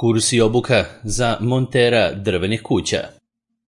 Kurs i obuka za montera drvenih kuća.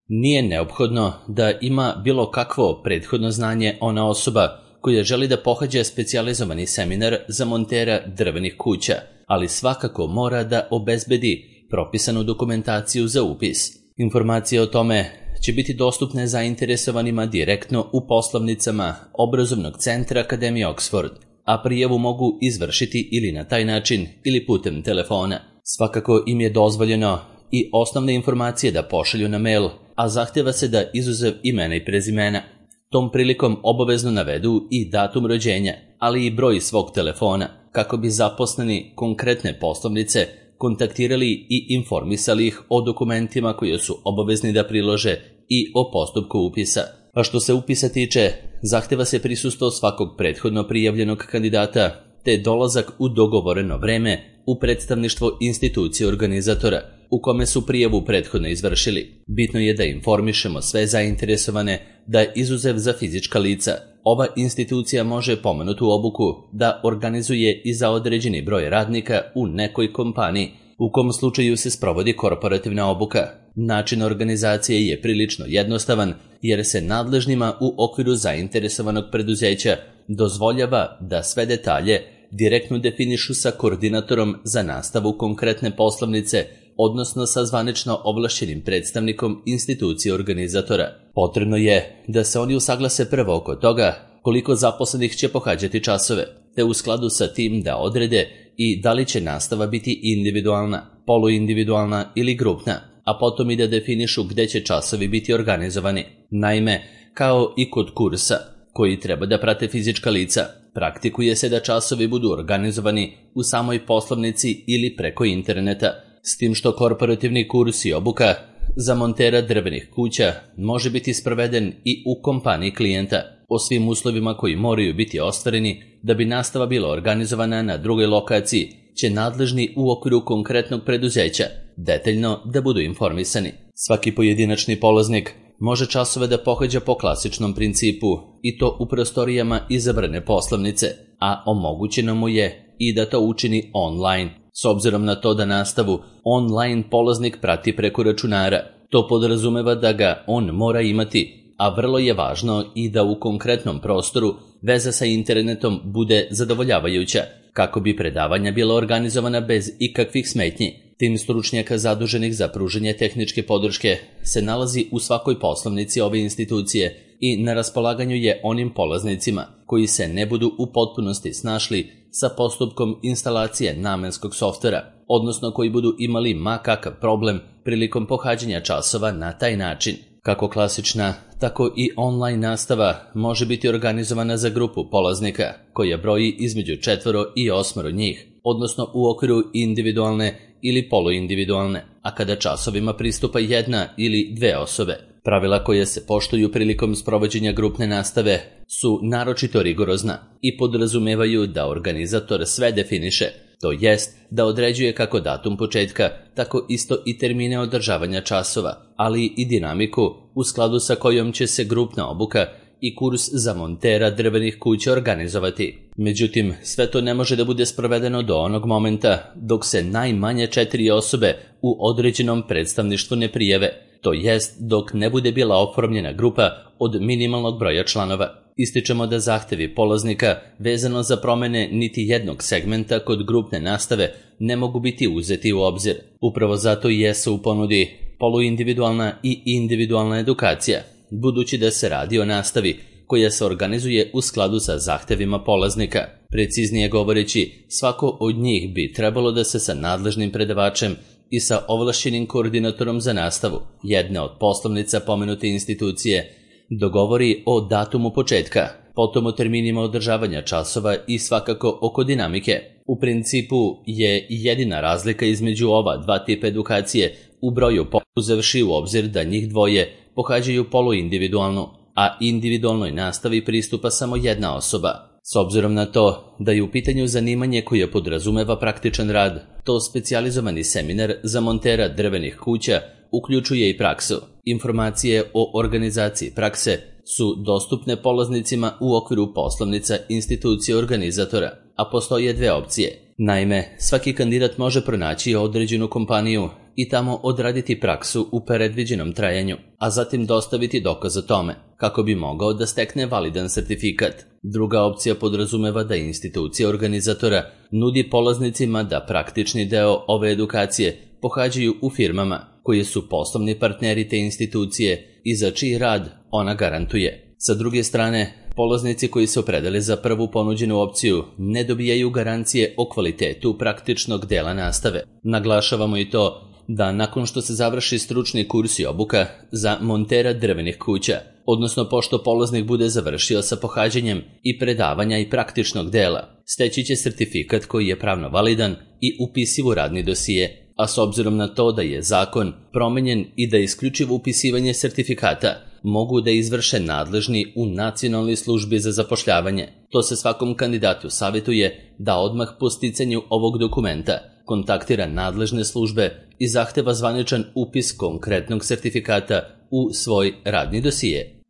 Nije neophodno da ima bilo kakvo prethodno znanje ona osoba koja želi da pohađa specijalizovani seminar za montera drvenih kuća, ali svakako mora da obezbedi propisanu dokumentaciju za upis. Informacije o tome će biti dostupne zainteresovanima direktno u poslovnicama Obrazovnog centra Akademije Oxford, a prijavu mogu izvršiti ili na taj način ili putem telefona. Svakako im je dozvoljeno i osnovne informacije da pošalju na mail, a zahtjeva se da izuzev imena i prezimena tom prilikom obavezno navedu i datum rođenja, ali i broj svog telefona, kako bi zaposleni konkretne poslovnice kontaktirali i informisali ih o dokumentima koje su obavezni da prilože i o postupku upisa. A što se upisa tiče, zahtjeva se prisustvo svakog prethodno prijavljenog kandidata, te dolazak u dogovoreno vreme u predstavništvo institucije organizatora, u kome su prijavu prethodno izvršili. Bitno je da informišemo sve zainteresovane da izuzev za fizička lica, ova institucija može pomenutu obuku da organizuje i za određeni broj radnika u nekoj kompaniji, u kom slučaju se sprovodi korporativna obuka. Način organizacije je prilično jednostavan, jer se nadležnima u okviru zainteresovanog preduzeća dozvoljava da sve detalje direktno definišu sa koordinatorom za nastavu konkretne poslovnice, odnosno sa zvanično ovlašćenim predstavnikom institucije organizatora. Potrebno je da se oni usaglase prvo oko toga koliko zaposlenih će pohađati časove, te u skladu sa tim da odrede i da li će nastava biti individualna, poluindividualna ili grupna, a potom i da definišu gde će časovi biti organizovani. Naime, kao i kod kursa, koji treba da prate fizička lica, praktikuje se da časovi budu organizovani u samoj poslovnici ili preko interneta, s tim što korporativni kurs i obuka za montera drvenih kuća može biti sproveden i u kompaniji klijenta, o svim uslovima koji moraju biti ostvareni da bi nastava bila organizovana na drugoj lokaciji, će nadležni u okviru konkretnog preduzeća detaljno da budu informisani. Svaki pojedinačni polaznik može časove da pohađa po klasičnom principu i to u prostorijama izabrane poslovnice, a omogućeno mu je i da to učini online. S obzirom na to da nastavu online polaznik prati preko računara, to podrazumeva da ga on mora imati, a vrlo je važno i da u konkretnom prostoru veza sa internetom bude zadovoljavajuća, kako bi predavanja bila organizovana bez ikakvih smetnji. Tim stručnjaka zaduženih za pružanje tehničke podrške se nalazi u svakoj poslovnici ove institucije i na raspolaganju je onim polaznicima koji se ne budu u potpunosti snašli sa postupkom instalacije namenskog softvera, odnosno koji budu imali ma kakav problem prilikom pohađanja časova na taj način. Kako klasična, tako i online nastava može biti organizovana za grupu polaznika koja broji između 4 i 8 njih, odnosno u okviru individualne ili poluindividualne, a kada časovima pristupa 1 ili 2 osobe. Pravila koje se poštuju prilikom sprovođenja grupne nastave su naročito rigorozna i podrazumevaju da organizator sve definiše, to jest da određuje kako datum početka, tako isto i termine održavanja časova, ali i dinamiku u skladu sa kojom će se grupna obuka i kurs za montera drvenih kuća organizovati. Međutim, sve to ne može da bude sprovedeno do onog momenta dok se najmanje 4 osobe u određenom predstavništvu ne prijave, to jest dok ne bude bila oformljena grupa od minimalnog broja članova. Ističemo da zahtevi polaznika vezano za promene niti jednog segmenta kod grupne nastave ne mogu biti uzeti u obzir. Upravo zato i jesu u ponudi poluindividualna i individualna edukacija, budući da se radi o nastavi koja se organizuje u skladu sa zahtevima polaznika. Preciznije govoreći, svako od njih bi trebalo da se sa nadležnim predavačem i sa ovlašćenim koordinatorom za nastavu jedne od poslovnica pomenute institucije dogovori o datumu početka, potom o terminima održavanja časova i svakako oko dinamike. U principu je jedina razlika između ova dva tipa edukacije u broju, uzevši u obzir da njih dvoje pohađaju poluindividualnu, a individualnoj nastavi pristupa samo jedna osoba. S obzirom na to da je u pitanju zanimanje koje podrazumeva praktičan rad, to specijalizovani seminar za montera drvenih kuća uključuje i praksu. Informacije o organizaciji prakse su dostupne polaznicima u okviru poslovnica institucije organizatora, a postoje dve opcije. Naime, svaki kandidat može pronaći određenu kompaniju i tamo odraditi praksu u predviđenom trajanju, a zatim dostaviti dokaz o tome, kako bi mogao da stekne validan sertifikat. Druga opcija podrazumeva da institucija organizatora nudi polaznicima da praktični deo ove edukacije pohađaju u firmama koje su poslovni partneri te institucije i za čiji rad ona garantuje. Sa druge strane, polaznici koji se opredele za prvu ponuđenu opciju ne dobijaju garancije o kvalitetu praktičnog dela nastave. Naglašavamo i to da nakon što se završi stručni kurs i obuka za montera drvenih kuća, odnosno pošto polaznik bude završio sa pohađanjem i predavanja i praktičnog dela, steći će sertifikat koji je pravno validan i upisiv u radni dosije, a s obzirom na to da je zakon promenjen i da isključivo upisivanje sertifikata mogu da izvrše nadležni u Nacionalnoj službi za zapošljavanje, to se svakom kandidatu savjetuje da odmah po sticanju ovog dokumenta kontaktira nadležne službe i zahteva zvaničan upis konkretnog sertifikata u svoj radni dosije.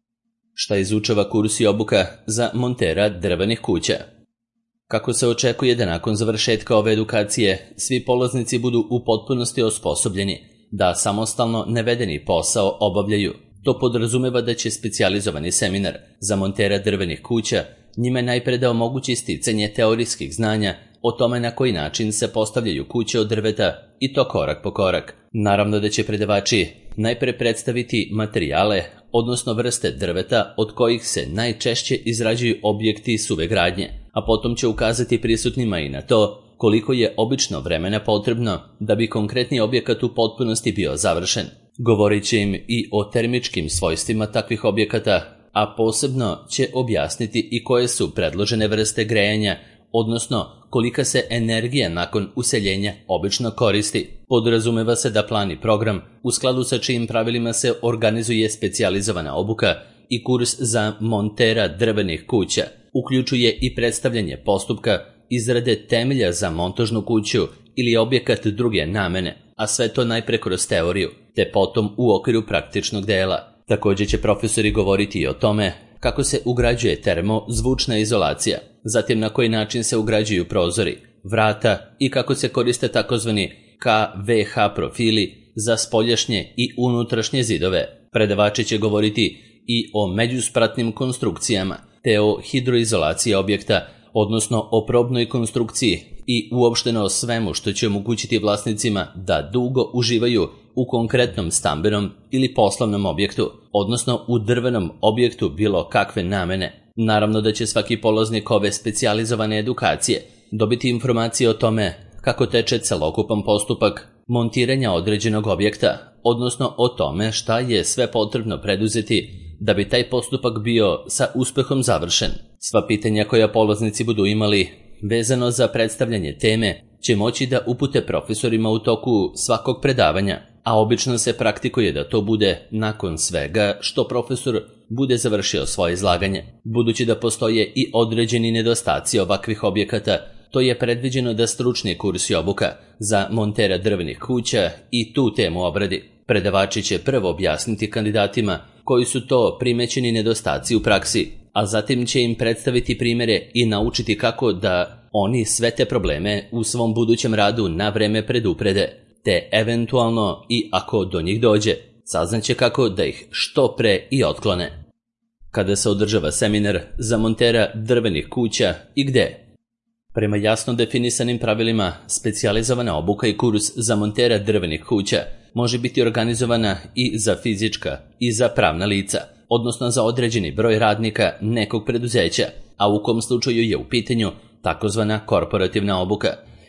Šta izučava kurs i obuka za montera drvenih kuća? Kako se očekuje da nakon završetka ove edukacije svi polaznici budu u potpunosti osposobljeni da samostalno navedeni posao obavljaju, to podrazumeva da će specijalizovani seminar za montera drvenih kuća njime najpre da omogući sticanje teorijskih znanja o tome na koji način se postavljaju kuće od drveta i to korak po korak. Naravno da će predavači najpre predstaviti materijale, odnosno vrste drveta od kojih se najčešće izrađuju objekti suve gradnje, a potom će ukazati prisutnima i na to koliko je obično vremena potrebno da bi konkretni objekat u potpunosti bio završen. Govorit će im i o termičkim svojstvima takvih objekata, a posebno će objasniti i koje su predložene vrste grejanja, odnosno kolika se energija nakon useljenja obično koristi. Podrazumeva se da plan i program, u skladu sa čijim pravilima se organizuje specijalizovana obuka i kurs za montera drvenih kuća, uključuje i predstavljanje postupka izrade temelja za montažnu kuću ili objekat druge namene, a sve to najpre kroz teoriju, te potom u okviru praktičnog dela. Također će profesori govoriti i o tome kako se ugrađuje termozvučna izolacija, zatim na koji način se ugrađuju prozori, vrata i kako se koriste takozvani KVH profili za spoljašnje i unutrašnje zidove. Predavači će govoriti i o međuspratnim konstrukcijama, te o hidroizolaciji objekta, odnosno o probnoj konstrukciji i uopšteno o svemu što će omogućiti vlasnicima da dugo uživaju u konkretnom stambenom ili poslovnom objektu, odnosno u drvenom objektu bilo kakve namene. Naravno da će svaki polaznik ove specijalizovane edukacije dobiti informacije o tome kako teče celokupan postupak montiranja određenog objekta, odnosno o tome šta je sve potrebno preduzeti da bi taj postupak bio sa uspehom završen. Sva pitanja koja polaznici budu imali vezano za predstavljanje teme će moći da upute profesorima u toku svakog predavanja, a obično se praktikuje da to bude nakon svega što profesor bude završio svoje izlaganje. Budući da postoje i određeni nedostaci ovakvih objekata, to je predviđeno da stručni kurs i obuka za montera drvenih kuća i tu temu obradi. Predavači će prvo objasniti kandidatima koji su to primećeni nedostaci u praksi, a zatim će im predstaviti primjere i naučiti kako da oni sve te probleme u svom budućem radu na vreme preduprede, te eventualno i ako do njih dođe, saznaće kako da ih što pre i otklone. Kada se održava seminar za montera drvenih kuća i gde? Prema jasno definisanim pravilima, specijalizovana obuka i kurs za montera drvenih kuća može biti organizovana i za fizička i za pravna lica, odnosno za određeni broj radnika nekog preduzeća, a u kom slučaju je u pitanju takozvana korporativna obuka.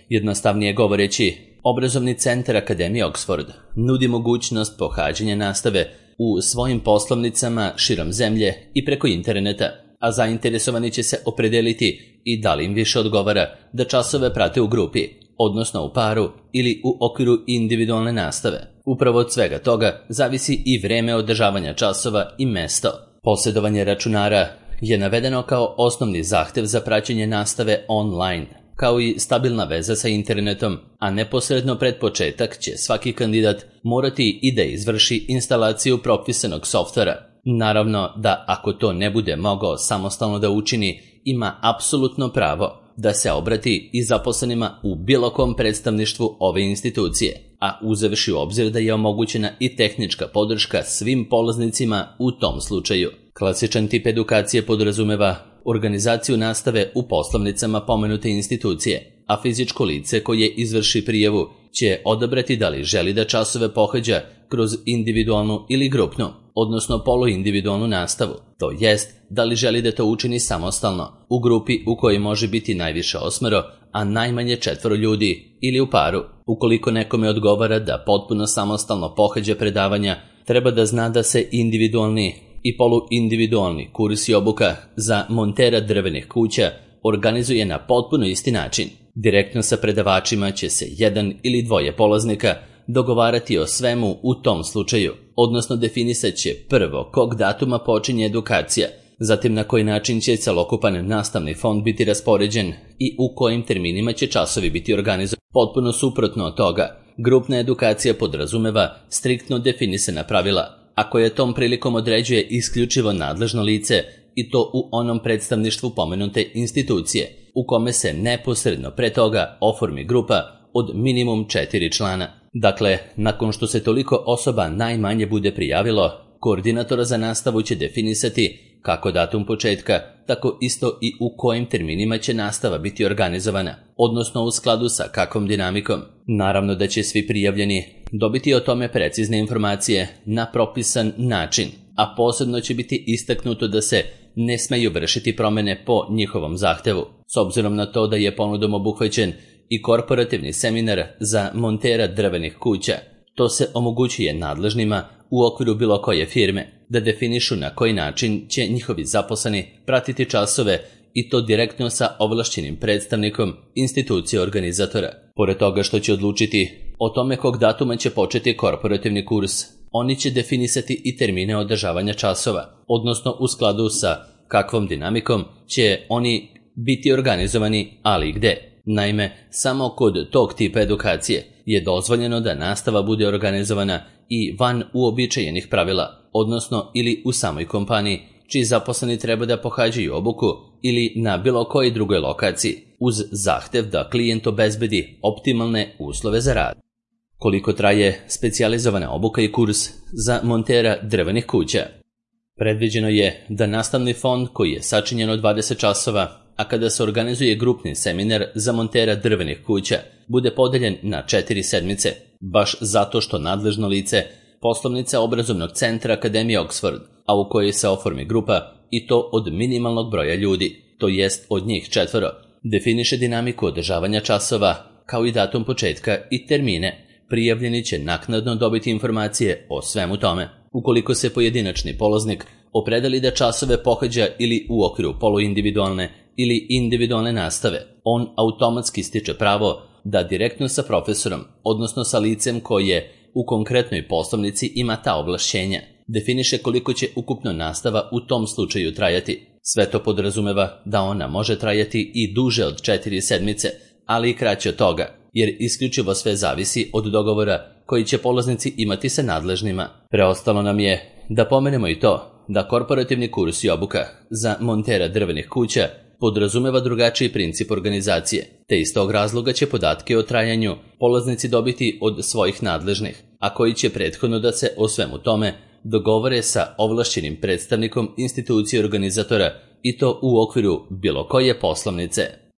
Jednostavnije govoreći, obrazovni centar Akademije Oxford nudi mogućnost pohađanja nastave u svojim poslovnicama širom zemlje i preko interneta, a zainteresovani će se opredeliti i da li im više odgovara da časove prate u grupi, odnosno u paru ili u okviru individualne nastave. Upravo od svega toga zavisi i vreme održavanja časova i mesto. Posjedovanje računara je navedeno kao osnovni zahtev za praćenje nastave online, kao i stabilna veza sa internetom, a neposredno pred početak će svaki kandidat morati i da izvrši instalaciju propisanog softvera. Naravno da ako to ne bude mogao samostalno da učini, ima apsolutno pravo da se obrati i zaposlenima u bilo kom predstavništvu ove institucije, a uzevši u obzir da je omogućena i tehnička podrška svim polaznicima u tom slučaju. Klasičan tip edukacije podrazumeva organizaciju nastave u poslovnicama pomenute institucije, a fizičko lice koje izvrši prijavu će odabrati da li želi da časove pohađa kroz individualnu ili grupnu, odnosno poluindividualnu nastavu, to jest da li želi da to učini samostalno, u grupi u kojoj može biti najviše 8, a najmanje 4 ljudi, ili u paru. Ukoliko nekome odgovara da potpuno samostalno pohađa predavanja, treba da zna da se individualni i poluindividualni kurs i obuka za montera drvenih kuća organizuje na potpuno isti način. Direktno sa predavačima će se 1 ili 2 polaznika dogovarati o svemu u tom slučaju, odnosno definisat će prvo kog datuma počinje edukacija, zatim na koji način će celokupan nastavni fond biti raspoređen i u kojim terminima će časovi biti organizovani. Potpuno suprotno od toga, grupna edukacija podrazumeva striktno definisana pravila, a koje tom prilikom određuje isključivo nadležno lice i to u onom predstavništvu pomenute institucije, u kome se neposredno pre toga oformi grupa od minimum 4 člana. Dakle, nakon što se toliko osoba najmanje bude prijavilo, koordinator za nastavu će definisati kako datum početka, tako isto i u kojim terminima će nastava biti organizovana, odnosno u skladu sa kakvom dinamikom. Naravno da će svi prijavljeni dobiti o tome precizne informacije na propisan način, a posebno će biti istaknuto da se ne smeju vršiti promene po njihovom zahtevu, s obzirom na to da je ponudom obuhvaćen i korporativni seminar za montera drvenih kuća. To se omogućuje nadležnima u okviru bilo koje firme da definišu na koji način će njihovi zaposleni pratiti časove i to direktno sa ovlašćenim predstavnikom institucije organizatora. Pored toga što će odlučiti o tome kog datuma će početi korporativni kurs, oni će definisati i termine održavanja časova, odnosno u skladu sa kakvom dinamikom će oni biti organizovani, ali i gde. Naime, samo kod tog tipa edukacije je dozvoljeno da nastava bude organizovana i van uobičajenih pravila, odnosno ili u samoj kompaniji, čiji zaposleni treba da pohađaju obuku ili na bilo kojoj drugoj lokaciji, uz zahtev da klijent obezbedi optimalne uslove za rad. Koliko traje specijalizovana obuka i kurs za montera drvenih kuća? Predviđeno je da nastavni fond koji je sačinjen od 20 časova, a kada se organizuje grupni seminar za montera drvenih kuća, bude podeljen na 4 sedmice, baš zato što nadležno lice poslovnica obrazovnog centra Akademije Oxford, a u kojoj se oformi grupa i to od minimalnog broja ljudi, to jest od njih 4, definiše dinamiku održavanja časova, kao i datum početka i termine. Prijavljeni će naknadno dobiti informacije o svemu tome. Ukoliko se pojedinačni polaznik opredeli da časove pohađa ili u okviru poluindividualne ili individualne nastave, on automatski stiče pravo da direktno sa profesorom, odnosno sa licem koje u konkretnoj poslovnici ima ta ovlašćenja, definiše koliko će ukupno nastava u tom slučaju trajati. Sve to podrazumeva da ona može trajati i duže od 4 sedmice, ali i kraće od toga, jer isključivo sve zavisi od dogovora koji će polaznici imati sa nadležnima. Preostalo nam je da pomenemo i to da korporativni kurs i obuka za montera drvenih kuća podrazumeva drugačiji princip organizacije, te iz tog razloga će podatke o trajanju polaznici dobiti od svojih nadležnih, a koji će prethodno da se o svemu tome dogovore sa ovlašćenim predstavnikom institucije organizatora i to u okviru bilo koje poslovnice.